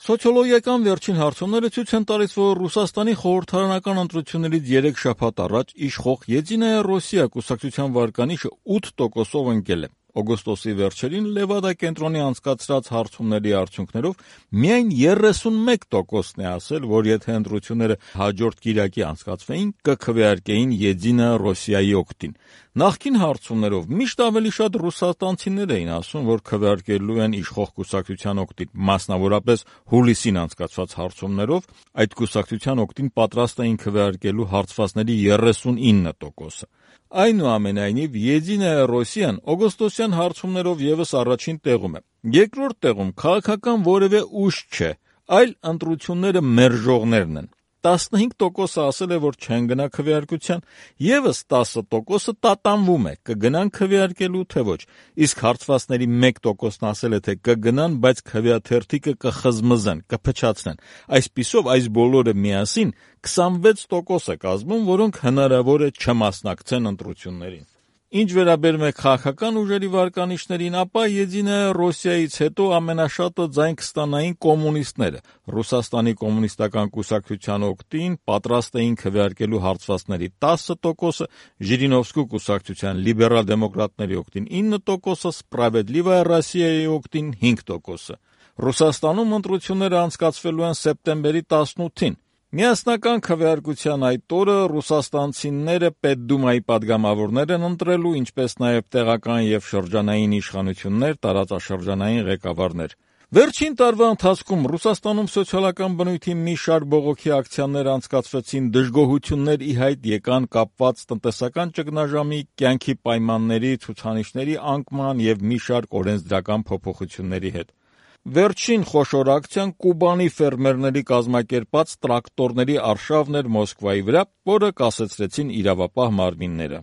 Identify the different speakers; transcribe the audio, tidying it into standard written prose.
Speaker 1: Սոցիոլոգիական վերջին հարցումները ցույց են տալիս, որ Ռուսաստանի խորհրդարանական ընտրություններից 3 շաբաթ առաջ իշխող Եդինայա Ռոսիա կուսակցության վարկանիշը 8%-ով ընկել է։ Օգոստոսի վերջերին Լևադա կենտրոնի անցկացրած հարցումների արդյունքներով միայն 31%-ն է ասել, որ եթե ընտրությունները հաջորդ կիրակի անցկացվեին, կքվեարկեին Եդինայա Ռոսիայի օգտին։ Նախկին հարցումներով միշտ ավելի շատ ռուսաստանցիներ էին ասում, որ քվեարկելու են իշխող կուսակցության օգտին, մասնավորապես հուլիսին անցկացված հարցումներով այդ կուսակցության օգտին պատրաստ էին քվեարկելու հարցվածների 39%-ը։ Այնուամենայնիվ, Եդինայա Ռոսիան օգոստոսյան հարցումներով ևս առաջին տեղում է։ Երկրորդ տեղում քաղաքական որևէ ուժ չէ, այլ ընտրությունները մերժողներն են։ 15%-ը ասել է, որ չեն գնա քվեարկության, ևս 10%-ը տատանվում է, կգնան քվեարկելու թե ոչ, իսկ հարցվածների 1%-ն ասել է, թե կգնան, բայց քվեաթերթիկը կխզմզեն, կփչացնեն։ Այսպիսով, այս բոլորը միասին 26% է կազմում, որոնք հնարավոր է չմասնակցեն ընտրություններին։ Ինչ վերաբերում է քաղաքական ուժերի վարկանիշներին, ապա Եդինայա Ռոսիայից հետո ամենաշատը ձայն կստանային կոմունիստները։ Ռուսաստանի կոմունիստական կուսակցության օգտին պատրաստ էին քվեարկելու հարցվածների 10%-ը, Ժիրինովսկու կուսակցության լիբերալ դեմոկրատների օգտին 9%-ը, Սպրավեդլիվայա Ռոսիայի օգտին 5%-ը։ Ռուսաստանում ընտրությունները անցկացվելու են սեպտեմբերի 18-ին։ Միասնական քվեարկության այդ օրը ռուսաստանցիները Պետդումայի падգամավորներ են ընտրելու, ինչպես նաև տեղական և շրջանային իշխանություններ, տարածաշրջանային ղեկավարներ։ Վերջին տարվա ընթացքում Ռուսաստանում սոցիալական բնույթի մի շարք բողոքի ակցիաներ անցկացվեցին, դժգոհություններ ի հայտ եկան կապված տնտեսական ճգնաժամի, կյանքի պայմանների, ցուցանիշների անկման և մի շարք օրենսդրական փոփոխությունների հետ։ Վերջին խոշոր ակցիան Կուբանի ֆերմերների կազմակերպած տրակտորների արշավն էր Մոսկվայի վրա, որը կասեցրեցին իրավապահ մարմինները։